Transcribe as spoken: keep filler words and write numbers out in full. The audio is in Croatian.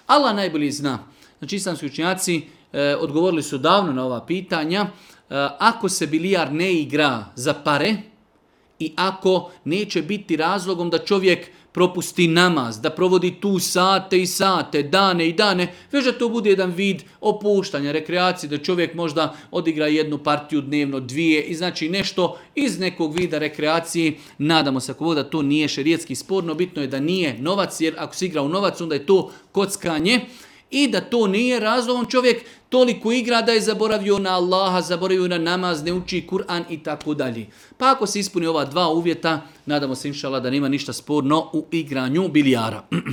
Allah najbolje zna. Znači islamski učenjaci e, odgovorili su davno na ova pitanja. E, ako se bilijar ne igra za pare i ako neće biti razlogom da čovjek propusti namaz, da provodi tu sate i sate, dane i dane, već da to bude jedan vid opuštanja, rekreacije, da čovjek možda odigra jednu partiju dnevno, dvije i znači nešto iz nekog vida rekreacije. Nadamo se ako da to nije šerijetski sporno, bitno je da nije novac, jer ako se igra u novac, onda je to kockanje. I da to nije razlogom čovjek toliko igra da je zaboravio na Allaha, zaboravio na namaz, ne uči Kur'an i tako dalje. Pa ako se ispuni ova dva uvjeta, nadamo se inšallah da nema ništa sporno u igranju bilijara.